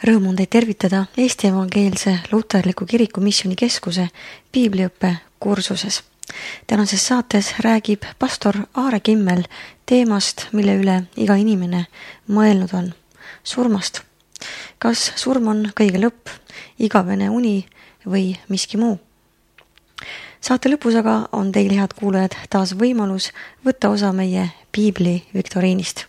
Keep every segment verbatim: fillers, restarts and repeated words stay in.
Rõõm on teid tervitada Eesti Evangeelse Luterliku Kiriku Missioonikeskuse piibliõppe kursuses. Tänases saates räägib pastor Aare Kimmel teemast, mille üle iga inimene mõelnud on, surmast. Kas surm on kõige lõpp, igavene uni või miski muu? Saate lõpus aga on teil, head kuulajad, taas võimalus võtta osa meie piibli viktoriinist.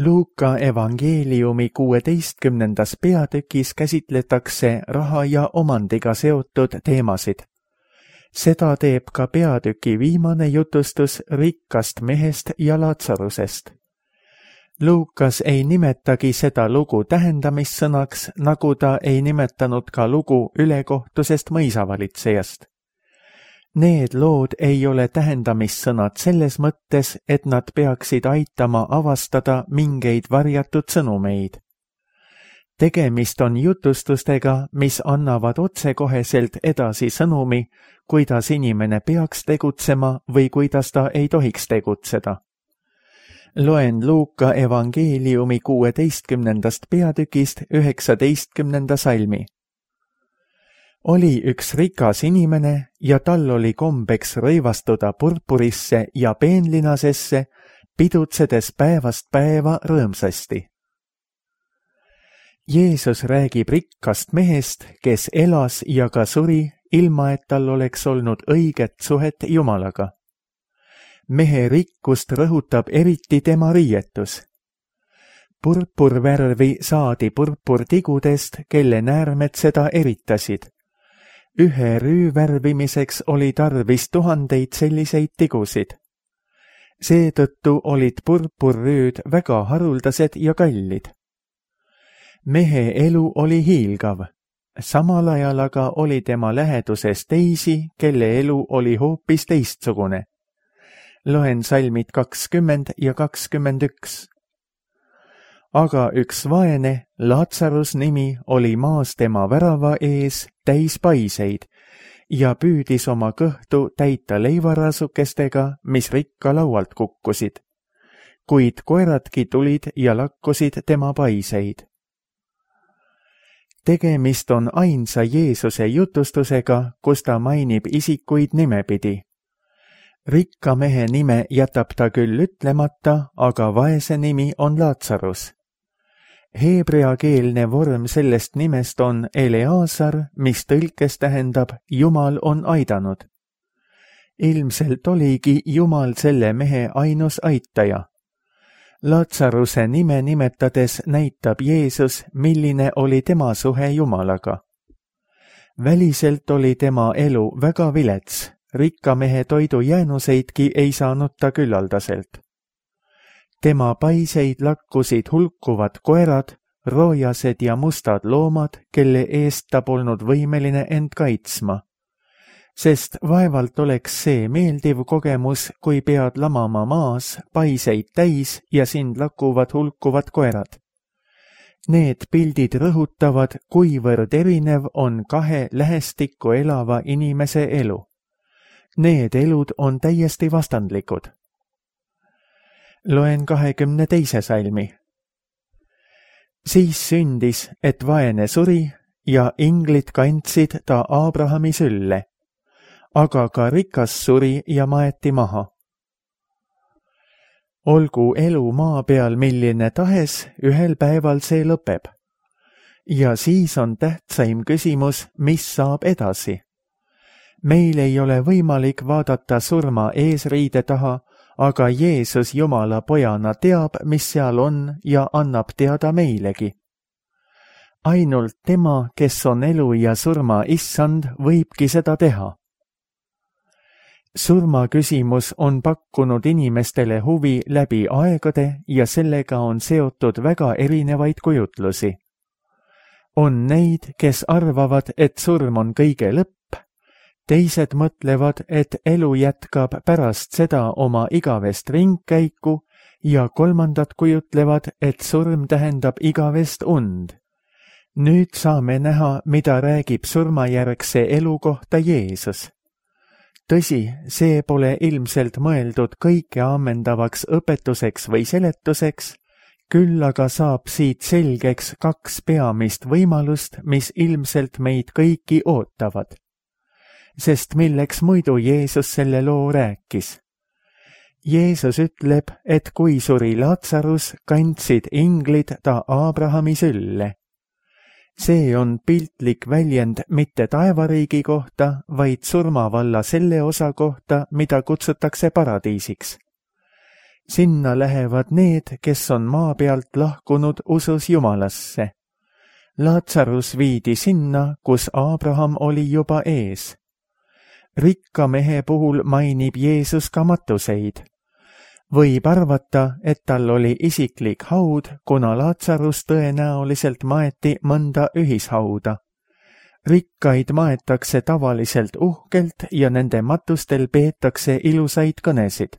Luuka evangeeliumi kuueteistkümnendas peatükis käsitletakse raha ja omandiga seotud teemasid. Seda teeb ka peatüki viimane jutustus rikkast mehest ja Laatsarusest. Luukas ei nimetagi seda lugu tähendamissõnaks, nagu ta ei nimetanud ka lugu ülekohtusest mõisavalitsejast. Need lood ei ole tähendamissõnad selles mõttes, et nad peaksid aitama avastada mingeid varjatud sõnumeid. Tegemist on jutustustega, mis annavad otsekoheselt edasi sõnumi, kuidas inimene peaks tegutsema või kuidas ta ei tohiks tegutseda. Loen Luuka evangeeliumi kuueteistkümnendast peatükist üheksateistkümnenda salmi. Oli üks rikas inimene ja tal oli kombeks rõivastuda purpurisse ja peenlinasesse, pidutsedes päevast päeva rõõmsasti. Jeesus räägib rikkast mehest, kes elas ja ka suri, ilma et tal oleks olnud õiget suhet Jumalaga. Mehe rikkust rõhutab eriti tema riietus. Purpurvärvi saadi purpurtigudest, kelle näärmed seda eritasid. Ühe rüü värvimiseks oli tarvis tuhandeid selliseid tigusid. Seetõttu olid purpurrüüd väga haruldased ja kallid. Mehe elu oli hiilgav, samal ajal aga oli tema läheduses teisi, kelle elu oli hoopis teistsugune. Loen salmid kakskümmend ja kakskümmend üks. Aga üks vaene, Laatsarus nimi, oli maas tema värava ees täis paiseid ja püüdis oma kõhtu täita leivarasukestega, mis rikka laualt kukkusid. Kuid koeradki tulid ja lakkusid tema paiseid. Tegemist on ainsa Jeesuse jutustusega, kus ta mainib isikuid nimepidi. Rikka mehe nime jätab ta küll ütlemata, aga vaese nimi on Laatsarus. Heebreakeelne vorm sellest nimest on Eleazar, mis tõlkes tähendab Jumal on aidanud. Ilmselt oligi Jumal selle mehe ainus aitaja. Laatsaruse nime nimetades näitab Jeesus, milline oli tema suhe Jumalaga. Väliselt oli tema elu väga vilets, rikka mehe toidujäänuseidki ei saanud ta küllaldaselt. Tema paiseid lakkusid hulkuvad koerad, roojased ja mustad loomad, kelle eest ta polnud võimeline end kaitsma. Sest vaevalt oleks see meeldiv kogemus, kui pead lamama maas, paiseid täis ja sind lakuvad hulkuvad koerad. Need pildid rõhutavad, kuivõrd erinev on kahe lähestikku elava inimese elu. Need elud on täiesti vastandlikud. Loen kahekümne teise salmi. Siis sündis, et vaene suri ja inglid kandsid ta Aabrahami sülle, aga ka rikas suri ja maeti maha. Olgu elu maa peal milline tahes, ühel päeval see lõpeb. Ja siis on tähtsaim küsimus, mis saab edasi. Meil ei ole võimalik vaadata surma eesriide taha, aga Jeesus Jumala pojana teab, mis seal on ja annab teada meilegi. Ainult tema, kes on elu ja surma issand, võibki seda teha. Surma küsimus on pakkunud inimestele huvi läbi aegade ja sellega on seotud väga erinevaid kujutlusi. On neid, kes arvavad, et surm on kõige lõpp, teised mõtlevad, et elu jätkab pärast seda oma igavest ringkäiku ja kolmandad kujutlevad, et surm tähendab igavest und. Nüüd saame näha, mida räägib surmajärgse elu kohta Jeesus. tõsi, see pole ilmselt mõeldud kõike ammendavaks õpetuseks või seletuseks, küll aga saab siit selgeks kaks peamist võimalust, mis ilmselt meid kõiki ootavad. Sest milleks muidu Jeesus selle loo rääkis? Jeesus ütleb, et kui suri Laatsarus, kandsid inglid ta Aabrahami sülle. See on piltlik väljend mitte taevariigi kohta, vaid surmavalla selle osa kohta, mida kutsutakse paradiisiks. Sinna lähevad need, kes on maa pealt lahkunud usus Jumalasse. Laatsarus viidi sinna, kus Aabraham oli juba ees. Rikka mehe puhul mainib Jeesus ka matuseid. Võib arvata, et tal oli isiklik haud, kuna Laatsarus tõenäoliselt maeti mõnda ühishauda. Rikkaid maetakse tavaliselt uhkelt ja nende matustel peetakse ilusaid kõnesid.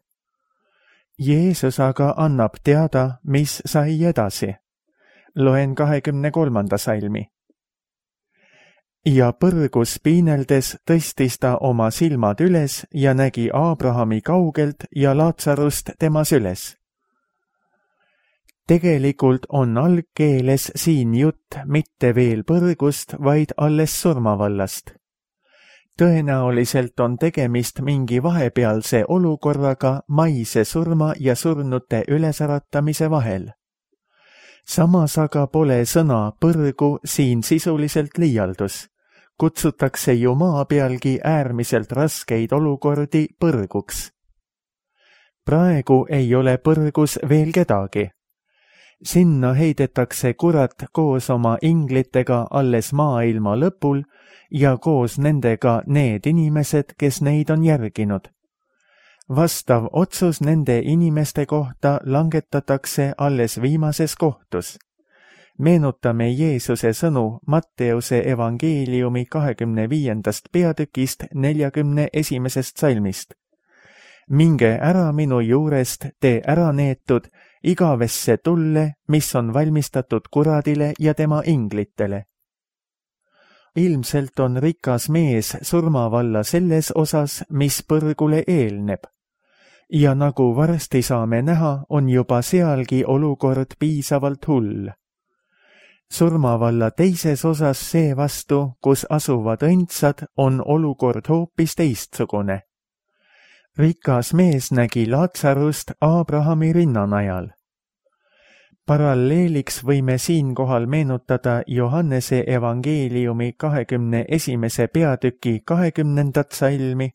Jeesus aga annab teada, mis sai edasi. Loen kahekümne kolmanda salmi. Ja põrgus piineldes tõstis ta oma silmad üles ja nägi Aabrahami kaugelt ja Laatsarust tema süles. Tegelikult on algkeeles siin jutt mitte veel põrgust, vaid alles surmavallast. Tõenäoliselt on tegemist mingi vahepealse olukorraga maise surma ja surnute ülesäratamise vahel. Samas aga pole sõna põrgu siin sisuliselt liialdus. Kutsutakse ju maa pealgi äärmiselt raskeid olukordi põrguks. Praegu ei ole põrgus veel kedagi. Sinna heidetakse kurat koos oma inglitega alles maailma lõpul ja koos nendega need inimesed, kes neid on järginud. Vastav otsus nende inimeste kohta langetatakse alles viimases kohtus. Meenutame Jeesuse sõnu Matteuse evangeeliumi kahekümne viiendast peatükist neljakümne esimesest salmist. Minge ära minu juurest, te ära neetud, igavesse tulle, mis on valmistatud kuradile ja tema inglitele. Ilmselt on rikas mees surmavalla selles osas, mis põrgule eelneb. Ja nagu varsti saame näha, on juba sealgi olukord piisavalt hull. Surmavalla teises osas seevastu, kus asuvad õndsad, on olukord hoopis teistsugune. Rikas mees nägi Laatsarust Aabrahami rinnanajal. Paralleeliks võime siinkohal meenutada Johannese evangeeliumi kahekümne esimese peatüki kahekümnendat salmi,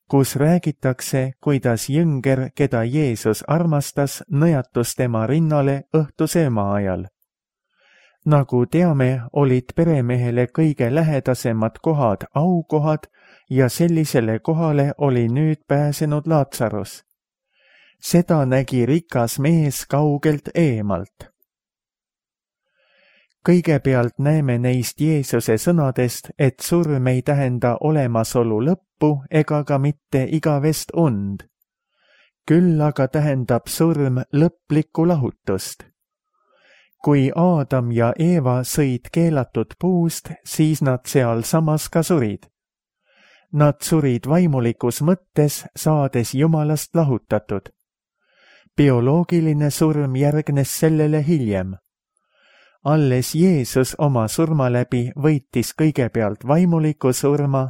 kus räägitakse, kuidas jünger, keda Jeesus armastas, nõjatus tema rinnale õhtusööma ajal. Nagu teame, olid peremehele kõige lähedasemad kohad aukohad ja sellisele kohale oli nüüd pääsenud Laatsarus. Seda nägi rikas mees kaugelt eemalt. Kõigepealt näeme neist Jeesuse sõnadest, et surm ei tähenda olemasolu lõppu ega ka mitte igavest und. Küll aga tähendab surm lõplikku lahutust. Kui Aadam ja Eeva sõid keelatud puust, siis nad seal samas ka surid. Nad surid vaimulikus mõttes, saades Jumalast lahutatud. Bioloogiline surm järgnes sellele hiljem. Alles Jeesus oma surma läbi võitis kõigepealt vaimuliku surma,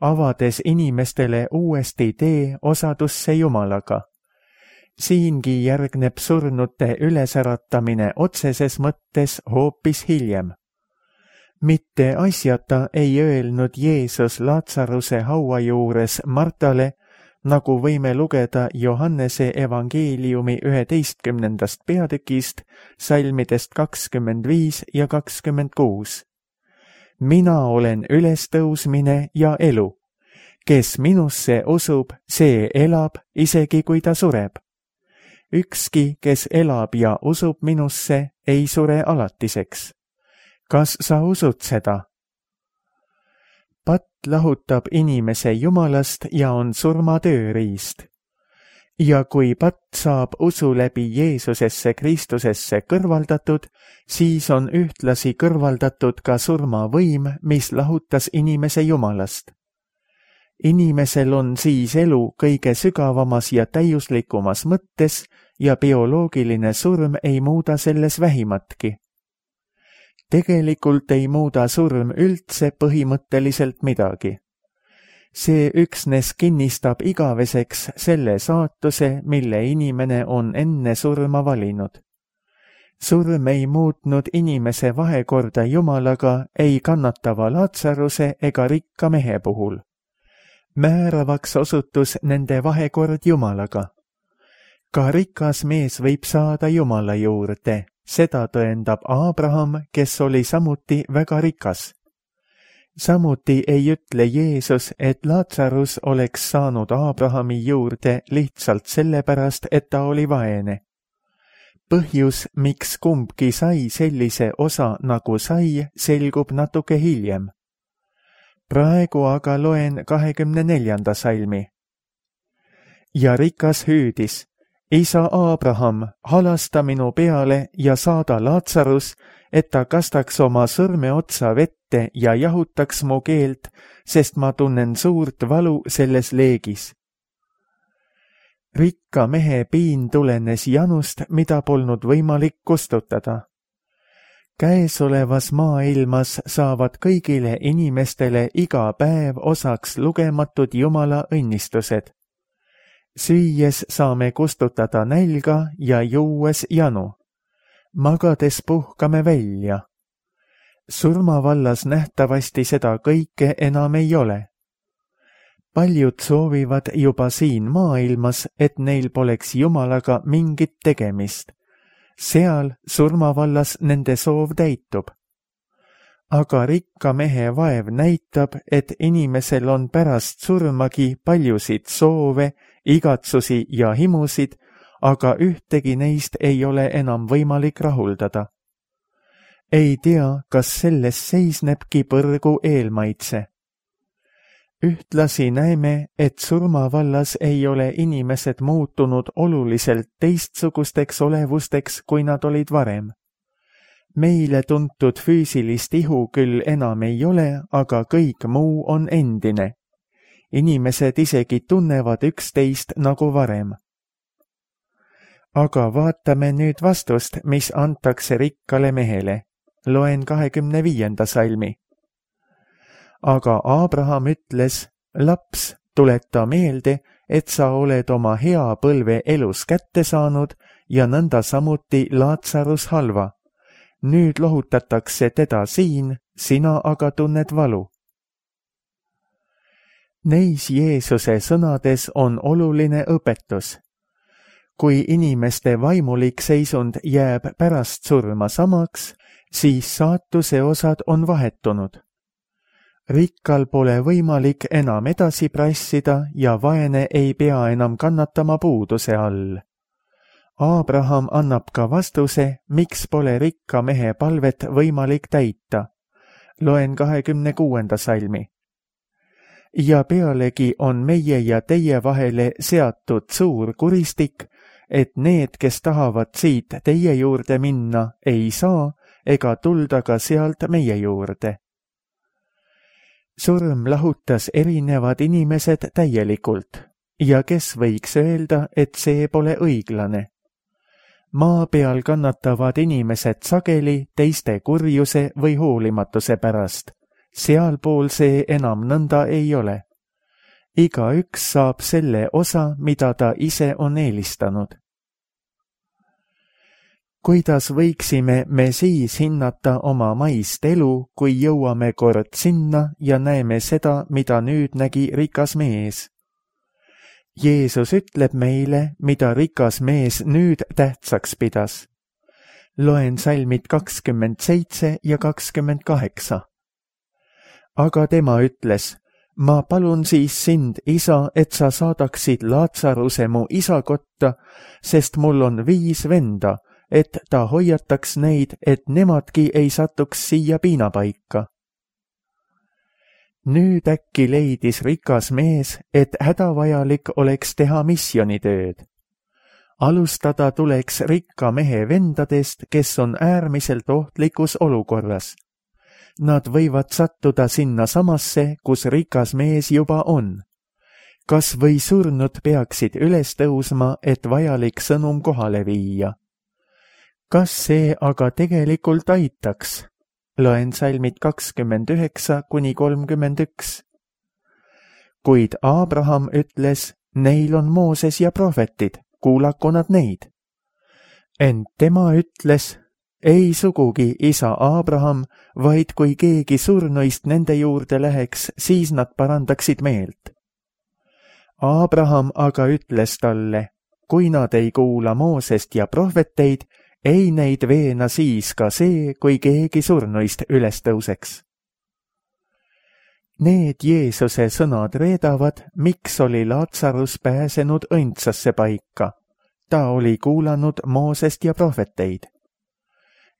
avades inimestele uuesti tee osadusse Jumalaga. Siingi järgneb surnute ülesäratamine otseses mõttes hoopis hiljem. Mitte asjata ei öelnud Jeesus Laatsaruse haua juures Martale, nagu võime lugeda Johannese evangeeliumi üheteistkümnendast peatükist, salmidest kakskümmend viis ja kakskümmend kuus. Mina olen ülestõusmine ja elu. Kes minusse usub, see elab, isegi kui ta sureb. Ükski, kes elab ja usub minusse, ei sure alatiseks. Kas sa usud seda? Patt lahutab inimese Jumalast ja on surma tööriist. Ja kui patt saab usu läbi Jeesusesse Kristusesse kõrvaldatud, siis on ühtlasi kõrvaldatud ka surmavõim, mis lahutas inimese Jumalast. inimesel on siis elu kõige sügavamas ja täiuslikumas mõttes ja bioloogiline surm ei muuda selles vähimatki. Tegelikult ei muuda surm üldse põhimõtteliselt midagi. See üksnes kinnistab igaveseks selle saatuse, mille inimene on enne surma valinud. Surm ei muutnud inimese vahekorda Jumalaga ei kannatava Laatsaruse ega rikka mehe puhul. Määravaks osutus nende vahekord Jumalaga. Ka rikas mees võib saada Jumala juurde, seda tõendab Abraham, kes oli samuti väga rikas. Samuti ei ütle Jeesus, et Laatsarus oleks saanud Abrahami juurde lihtsalt sellepärast, et ta oli vaene. Põhjus, miks kumbki sai sellise osa nagu sai, selgub natuke hiljem. Praegu aga loen kahekümne neljanda salmi. Ja rikas hüüdis, isa Abraham, halasta minu peale ja saada Laatsarus, et ta kastaks oma sõrme otsa vette ja jahutaks mu keelt, sest ma tunnen suurt valu selles leegis. Rikka mehe piin tulenes janust, mida polnud võimalik kustutada. Käesolevas maailmas saavad kõigile inimestele iga päev osaks lugematud Jumala õnnistused. Süües saame kustutada nälga ja juues janu. Magades puhkame välja. Surmavallas nähtavasti seda kõike enam ei ole. Paljud soovivad juba siin maailmas, et neil poleks Jumalaga mingit tegemist. Seal surmavallas nende soov täitub. Aga rikka mehe vaev näitab, et inimesel on pärast surmagi paljusid soove, igatsusi ja himusid, aga ühtegi neist ei ole enam võimalik rahuldada. Ei tea, kas selles seisnebki põrgu eelmaitse. Ühtlasi näeme, et surmavallas ei ole inimesed muutunud oluliselt teistsugusteks olevusteks, kui nad olid varem. Meile tuntud füüsilist ihu küll enam ei ole, aga kõik muu on endine. Inimesed isegi tunnevad üksteist nagu varem. Aga vaatame nüüd vastust, mis antakse rikkale mehele. Loen kahekümne viienda salmi. Aga Abraham ütles, laps, tuleta meelde, et sa oled oma hea põlve elus kätte saanud ja nõnda samuti Laatsarus halva. Nüüd lohutatakse teda siin, sina aga tunned valu. Neis Jeesuse sõnades on oluline õpetus. Kui inimeste vaimulik seisund jääb pärast surma samaks, siis saatuse osad on vahetunud. Rikkal pole võimalik enam edasi prassida ja vaene ei pea enam kannatama puuduse all. Abraham annab ka vastuse, miks pole rikka mehe palvet võimalik täita. Loen kahekümne kuuenda salmi. Ja pealegi on meie ja teie vahele seatud suur kuristik, et need, kes tahavad siit teie juurde minna, ei saa ega tulda ka sealt meie juurde. Surm lahutas erinevad inimesed täielikult ja kes võiks öelda, et see pole õiglane. Maa peal kannatavad inimesed sageli teiste kurjuse või hoolimatuse pärast. Sealpool see enam nõnda ei ole. Igaüks saab selle osa, mida ta ise on eelistanud. Kuidas võiksime me siis hinnata oma maist elu, kui jõuame kord sinna ja näeme seda, mida nüüd nägi rikas mees? Jeesus ütleb meile, mida rikas mees nüüd tähtsaks pidas. Loen salmid kakskümmend seitse ja kakskümmend kaheksa. Aga tema ütles, ma palun siis sind, isa, et sa saadaksid Laatsaruse mu isa kotta, sest mul on viis venda, et ta hoiataks neid, et nemadki ei satuks siia piinapaika. Nüüd äkki leidis rikas mees, et hädavajalik oleks teha missioonitööd. Alustada tuleks rikka mehe vendadest, kes on äärmiselt ohtlikus olukorras. Nad võivad sattuda sinna samasse, kus rikas mees juba on. kas või surnud peaksid üles tõusma, et vajalik sõnum kohale viia. Kas see aga tegelikult aitaks? Loen salmid kakskümmend üheksa kuni kolmkümmend üks. Kuid Abraham ütles, neil on Mooses ja prohvetid, kuulaku nad neid. Ent tema ütles, ei sugugi isa Abraham, vaid kui keegi surnuist nende juurde läheks, siis nad parandaksid meelt. Abraham aga ütles talle, kui nad ei kuula Moosest ja prohveteid, ei neid veena siis ka see, kui keegi surnuist üles tõuseks. Need Jeesuse sõnad reedavad, miks oli Laatsarus pääsenud õndsasse paika. Ta oli kuulanud Moosest ja prohveteid.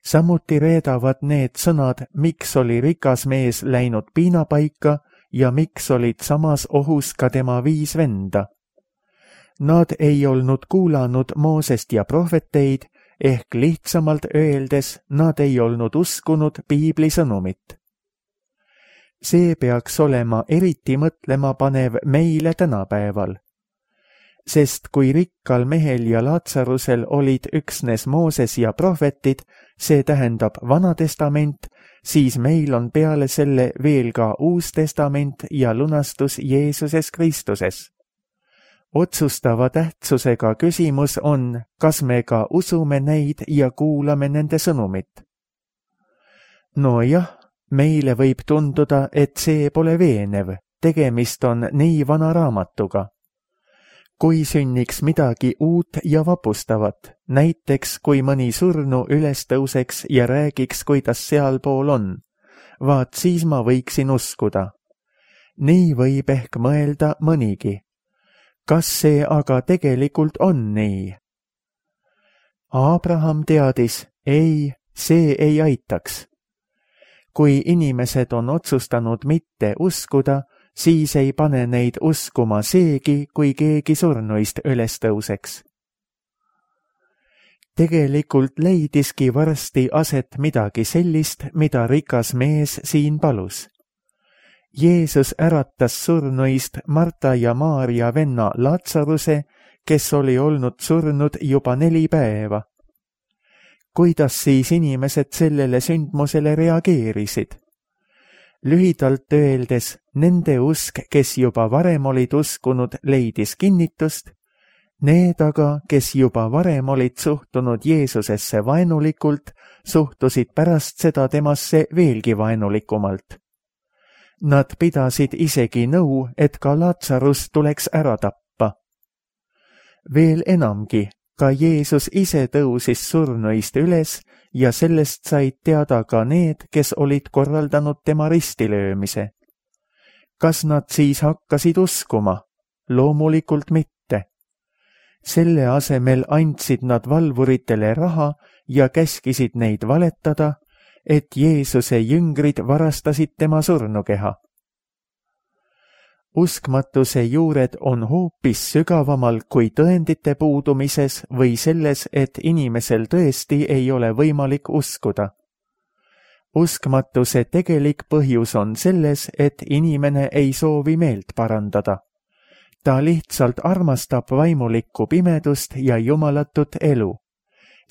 Samuti reedavad need sõnad, miks oli rikas mees läinud piinapaika ja miks olid samas ohus ka tema viis venda. Nad ei olnud kuulanud Moosest ja prohveteid, ehk lihtsamalt öeldes, nad ei olnud uskunud piibli sõnumit. See peaks olema eriti mõtlema panev meile tänapäeval. Sest kui rikkal mehel ja Laatsarusel olid üksnes Mooses ja prohvetid, see tähendab Vana Testament, siis meil on peale selle veel ka Uus Testament ja lunastus Jeesuses Kristuses. Otsustava tähtsusega küsimus on, kas me ka usume neid ja kuulame nende sõnumit. No jah, meile võib tunduda, et see pole veenev, tegemist on nii vana raamatuga. Kui sünniks midagi uut ja vapustavat, näiteks kui mõni surnu üles tõuseks ja räägiks, kuidas sealpool on, vaat siis ma võiksin uskuda. Nii võib ehk mõelda mõnigi. Kas see aga tegelikult on nii? Abraham teadis, ei, see ei aitaks. Kui inimesed on otsustanud mitte uskuda, siis ei pane neid uskuma seegi, kui keegi surnuist üles tõuseks. Tegelikult leidiski varsti aset midagi sellist, mida rikas mees siin palus. Jeesus äratas surnuist Marta ja Maarja venna Laatsaruse, kes oli olnud surnud juba neli päeva. Kuidas siis inimesed sellele sündmusele reageerisid? Lühidalt öeldes, nende usk, kes juba varem olid uskunud, leidis kinnitust, need aga, kes juba varem olid suhtunud Jeesusesse vaenulikult, suhtusid pärast seda temasse veelgi vaenulikumalt. Nad pidasid isegi nõu, et ka Laatsarus tuleks ära tappa. Veel enamgi, ka Jeesus ise tõusis surnuist üles ja sellest said teada ka need, kes olid korraldanud tema ristilöömise. Kas nad siis hakkasid uskuma? Loomulikult mitte. Selle asemel andsid nad valvuritele raha ja käskisid neid valetada, et Jeesuse jüngrid varastasid tema surnukeha. Uskmatuse juured on hoopis sügavamal kui tõendite puudumises või selles, et inimesel tõesti ei ole võimalik uskuda. Uskmatuse tegelik põhjus on selles, et inimene ei soovi meelt parandada. Ta lihtsalt armastab vaimulikku pimedust ja jumalatut elu.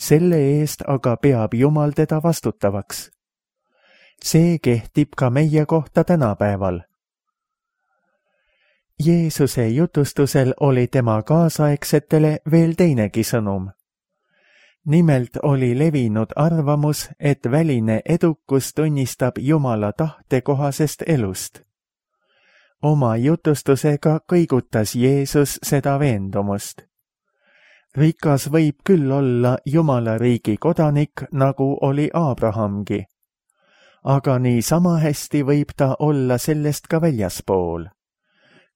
Selle eest aga peab Jumal teda vastutavaks. See kehtib ka meie kohta tänapäeval. Jeesuse jutustusel oli tema kaasaegsetele veel teinegi sõnum. Nimelt oli levinud arvamus, et väline edukus tunnistab Jumala tahte kohasest elust. Oma jutustusega kõigutas Jeesus seda veendumust. Rikas võib küll olla Jumala riigi kodanik, nagu oli Abrahamgi. Aga nii sama hästi võib ta olla sellest ka väljaspool.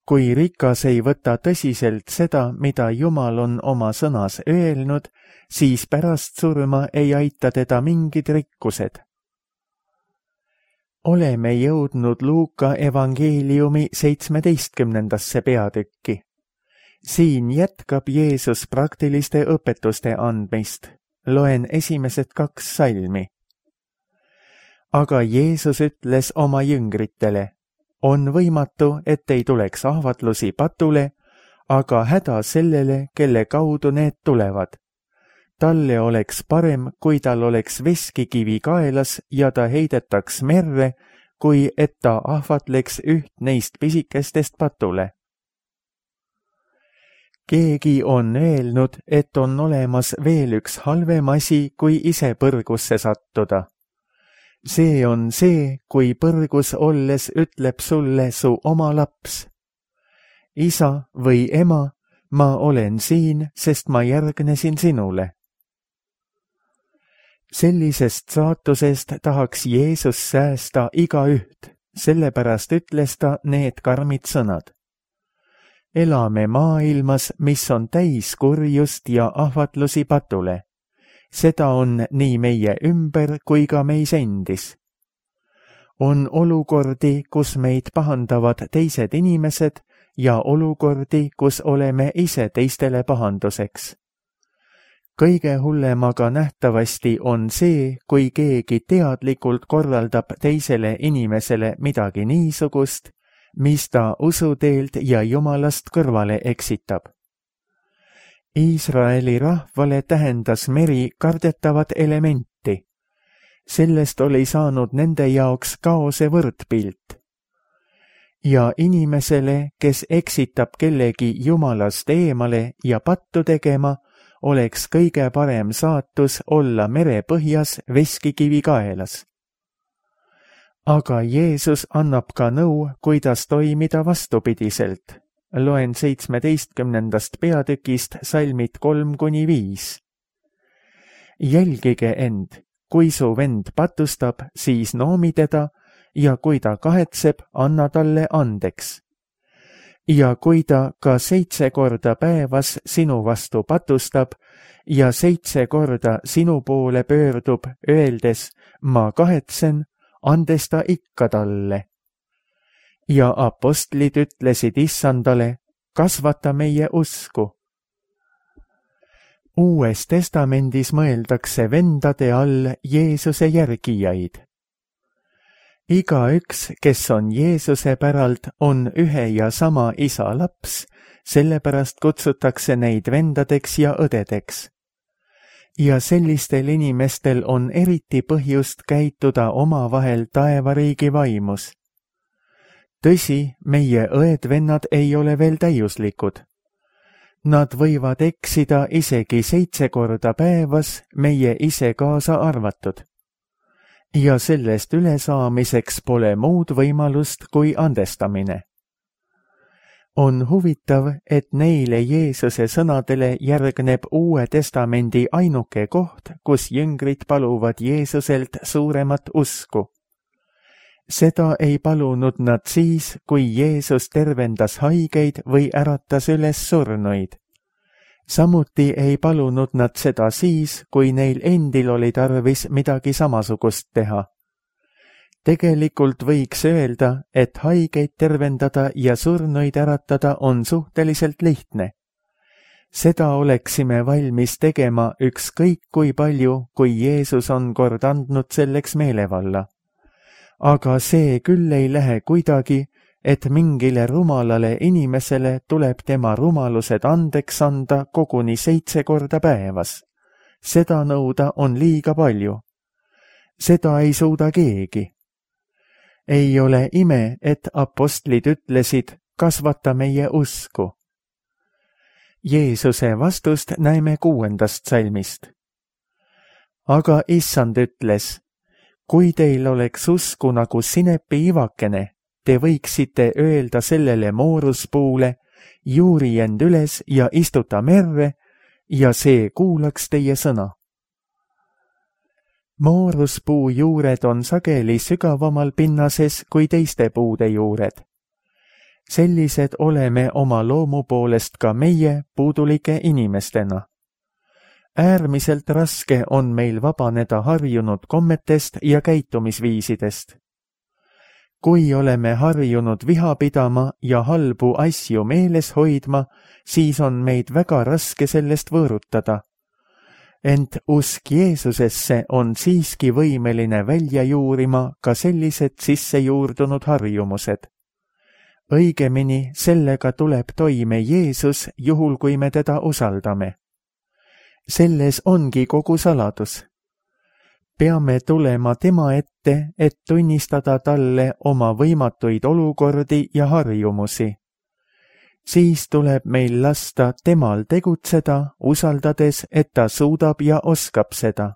Kui rikas ei võta tõsiselt seda, mida Jumal on oma sõnas öelnud, siis pärast surma ei aita teda mingid rikkused. Oleme jõudnud Luuka evangeeliumi seitsmeteistkümnendasse peatükki. Siin jätkab Jeesus praktiliste õpetuste andmist. Loen esimesed kaks salmi. Aga Jeesus ütles oma jüngritele, on võimatu, et ei tuleks ahvatlusi patule, aga häda sellele, kelle kaudu need tulevad. Talle oleks parem, kui tal oleks veskikivi kaelas ja ta heidetaks merre, kui et ta ahvatleks üht neist pisikestest patule. Keegi on öelnud, et on olemas veel üks halvem asi, kui ise põrgusse sattuda. See on see, kui põrgus olles ütleb sulle su oma laps. Isa või ema, ma olen siin, sest ma järgnesin sinule. Sellisest saatusest tahaks Jeesus säästa igaüht, sellepärast ütles ta need karmid sõnad. Elame maailmas, mis on täis kurjust ja ahvatlusi patule. Seda on nii meie ümber kui ka meis endis. On olukordi, kus meid pahandavad teised inimesed ja olukordi, kus oleme ise teistele pahanduseks. Kõige hullem aga nähtavasti on see, kui keegi teadlikult korraldab teisele inimesele midagi niisugust, mis ta usuteelt ja Jumalast kõrvale eksitab. Iisraeli rahvale tähendas meri kardetavat elementi. Sellest oli saanud nende jaoks kaose võrdpilt. Ja inimesele, kes eksitab kellegi Jumalast eemale ja pattu tegema, oleks kõige parem saatus olla merepõhjas veskikivi kaelas. Aga Jeesus annab ka nõu, kuidas toimida vastupidiselt. Loen seitsmeteistkümnendast peatükist salmid kolm kuni viis. Jälgige end, kui su vend patustab, siis noomi teda, ja kui ta kahetseb, anna talle andeks. Ja kui ta ka seitse korda päevas sinu vastu patustab ja seitse korda sinu poole pöördub, öeldes, ma kahetsen, andes ta ikka talle. Ja apostlid ütlesid issandale, kasvata meie usku. Uues testamendis mõeldakse vendade all Jeesuse järgijaid. Igaüks, kes on Jeesuse päralt, on ühe ja sama isa laps, sellepärast kutsutakse neid vendadeks ja õdedeks. Ja sellistel inimestel on eriti põhjust käituda omavahel taevariigi vaimus. Tõsi, meie õed-vennad ei ole veel täiuslikud. Nad võivad eksida isegi seitse korda päevas, meie ise kaasa arvatud. Ja sellest ülesaamiseks pole muud võimalust kui andestamine. On huvitav, et neile Jeesuse sõnadele järgneb Uue Testamendi ainuke koht, kus jüngrid paluvad Jeesuselt suuremat usku. Seda ei palunud nad siis, kui Jeesus tervendas haigeid või äratas üles surnuid. Samuti ei palunud nad seda siis, kui neil endil oli tarvis midagi samasugust teha. Tegelikult võiks öelda, et haigeid tervendada ja surnuid äratada on suhteliselt lihtne. Seda oleksime valmis tegema ükskõik kui palju, kui Jeesus on kord andnud selleks meelevalla. Aga see küll ei lähe kuidagi, et mingile rumalale inimesele tuleb tema rumalused andeks anda koguni seitse korda päevas. Seda nõuda on liiga palju. Seda ei suuda keegi. Ei ole ime, et apostlid ütlesid, kasvata meie usku. Jeesuse vastust näeme kuuendast salmist. Aga issand ütles, kui teil oleks usku nagu sinepi ivakene, te võiksite öelda sellele mooruspuule, juuri end üles ja istuta merre, ja see kuulaks teie sõna. Mooruspuu juured on sageli sügavamal pinnases kui teiste puude juured. Sellised oleme oma loomu poolest ka meie puudulike inimestena. Äärmiselt raske on meil vabaneda harjunud kommetest ja käitumisviisidest. Kui oleme harjunud viha pidama ja halbu asju meeles hoidma, siis on meid väga raske sellest võõrutada. Ent usk Jeesusesse on siiski võimeline välja juurima ka sellised sisse juurdunud harjumused. õigemini sellega tuleb toime Jeesus, juhul kui me teda usaldame. Selles ongi kogu saladus. Peame tulema tema ette, et tunnistada talle oma võimatuid olukordi ja harjumusi. Siis tuleb meil lasta temal tegutseda, usaldades, et ta suudab ja oskab seda.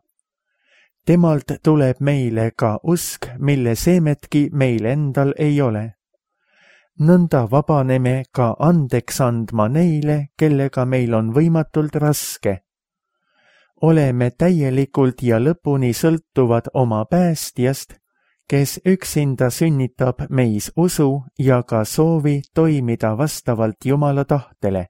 Temalt tuleb meile ka usk, mille seemetki meil endal ei ole. Nõnda vabaneme ka andeks andma neile, kellega meil on võimatult raske. Oleme täielikult ja lõpuni sõltuvad oma päästjast, kes üksinda sünnitab meis usu ja ka soovi toimida vastavalt Jumala tahtele.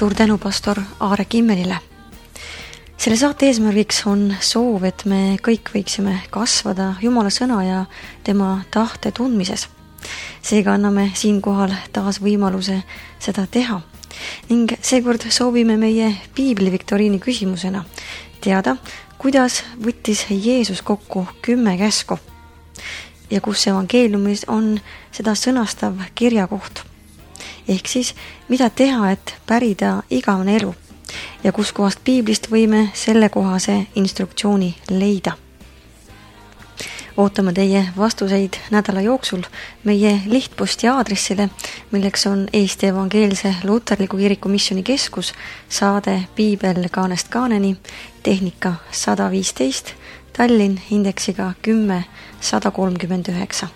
Suur tänu pastor Aare Kimmelile. Selle saate eesmärgiks on soov, et me kõik võiksime kasvada Jumala sõna ja tema tahte tundmises. Seega anname siinkohal taas võimaluse seda teha. Ning seekord soovime meie piibli viktoriini küsimusena teada, kuidas võttis Jeesus kokku kümme käsku ja kus evangeeliumis on seda sõnastav kirjakoht. Ehk siis, mida teha, et pärida igavene elu ja kus kohast piiblist võime sellekohase instruktsiooni leida. Ootame teie vastuseid nädala jooksul meie lihtposti aadressile, milleks on Eesti Evangeelse Luterliku Kiriku Missiooni Keskus, saade Piibel kaanest kaaneni, tehnika sada viisteist, Tallinn indeksiga kümme sada kolmkümmend üheksa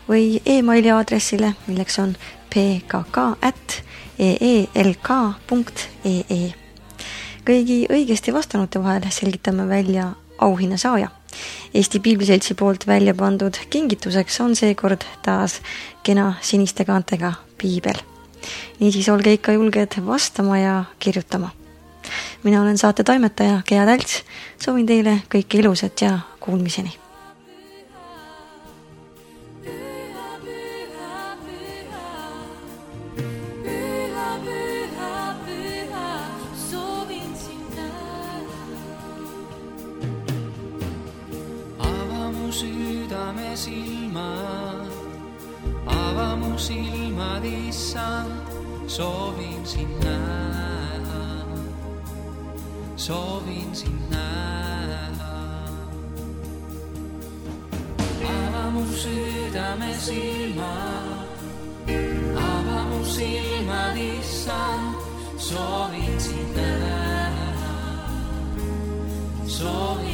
või e-maili aadressile, milleks on p k k at e e l k punkt e e. Kõigi õigesti vastanute vahel selgitame välja auhinna saaja. Eesti Piibliseltsi poolt välja pandud kingituseks on seekord taas kena siniste kaantega piibel. Niisiis olge ikka julged vastama ja kirjutama. Mina olen saate toimetaja Gea Tälts. Soovin teile kõike ilusat ja kuulmiseni. Südame silmad, ava mu silmad, issand, soovin sind näha, soovin sind näha. Ava mu südame silmad, ava mu silmad, issand, soovin sind näha, soovin